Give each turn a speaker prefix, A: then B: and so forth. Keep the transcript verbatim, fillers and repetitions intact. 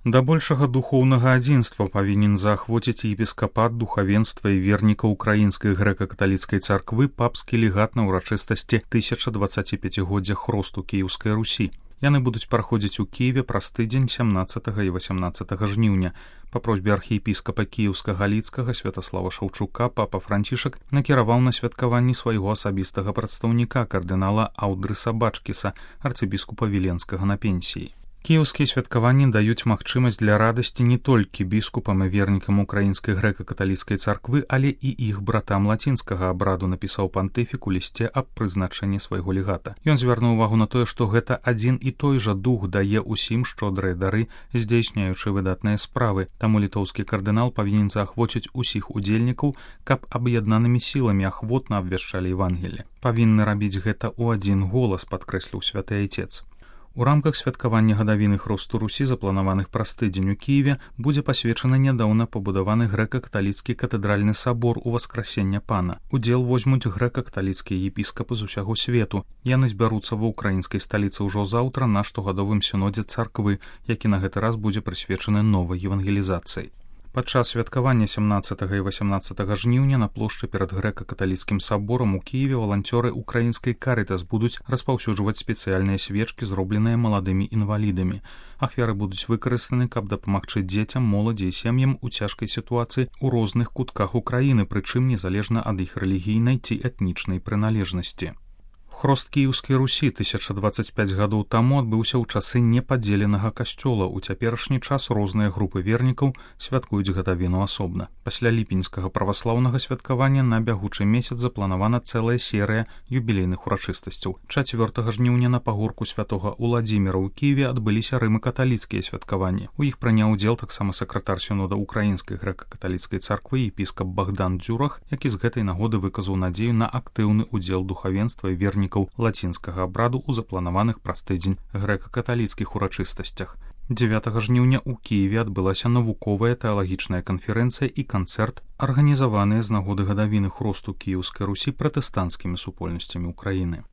A: Да большага духоўнага адзінства павінен заахвоціць епіскапат, духавенства і верніка ўкраінскай грэка-каталіцкай царквы папскі легат на ўрачыстасці тысяча дваццаціпяцігоддзя хросту Кіеўскай Русі. Яны будуць праходзіць у Кіеве праз тыдзень сямнаццатага і васямнаццатага жніўня. Па просьбе архіепіскапа Кіеўска-Галіцкага Святаслава Шаўчука папа Францішак накіраваў на святкаванні свайго асабістага прадстаўніка кардынала Аўдрыса Бачкіса, арцыбіскупа Віленскага на пенсіі. Кіеўскія святкаванні даюць магчымасць для радасці не толькі біскупам і вернікам украінскай грэка-каталіцкай царквы, але і іх братам лацінскага абраду, напісаў пантыфік у лісце аб прызначэнні свайго легата. Ён звярнуў увагу на тое, што гэта адзін і той жа дух дае ўсім шчодрыя дары, здзяйсняючы выдатныя справы. Таму літоўскі кардынал павінен заахвоціць усіх удзельнікаў, каб аб'яднанымі сіламі ахвотна абвяшчалі Евангелле. Павінны рабіць гэта ў адзін голас, падкрэсліў святы айцец. У рамках святкавання гадавіны хросту Русі, запланаваных праз тыдзень у Кіеве, будзе пасвечаны нядаўна пабудаваны грэка-каталіцкі катэдральны сабор Уваскрасення Пана. Удзел возьмуць грэка-каталіцкія епіскапы з усяго свету. Яны збяруцца ва ўкраінскай сталіцы ўжо заўтра на штогадовым сінодзе царквы, які на гэты раз будзе прысвечаны новай евангелізацыі. Падчас святкавання сямнаццатага і васямнаццатага жніўня на плошчы перад грэка-каталіцкім саборам у Кіеве валанцёры ўкраінскай Карытас будуць распаўсюджваць спецыяльныя свечкі, зробленыя маладымі інвалідамі. Ахвяры будуць выкарыстаны, каб дапамагчы дзецям, моладзі і сем'ям у цяжкай сітуацыі ў розных кутках Украіны, прычым незалежна ад іх рэлігійнай ці этнічнай прыналежнасці. Хрост Кіеўскай Русі тысяча дваццаць пяць гадоў таму адбыўся ў часы непадзеленага касцёла. У цяперашні час розныя групы вернікаў святкуюць гадавіну асобна. Пасля ліпеньскага праваслаўнага святкавання на бягучы месяц запланавана цэлая серыя юбілейных урачыстасцяў. чацвёртага жніўня на пагорку святога Уладзіміра ў Кіеве адбыліся рыма-каталіцкія святкаванні. У іх прыняў удзел таксама сакратар сінода ўкраінскай грэка-каталіцкай царквы епіскап Богдан Дзюрах, які з гэтай нагоды выказаў надзею на актыўны удзел духавенства і вернікаў лацінскага абраду ў запланаваных праз тыдзень грэка-каталіцкіх урачыстасцях. дзевятага жніўня ў Кіеве адбылася навуковая тэалагічная канферэнцыя і канцэрт, арганізаваныя з нагоды гадавіны хросту Кіеўскай Русі пратэстанцкімі супольнасцямі Украіны.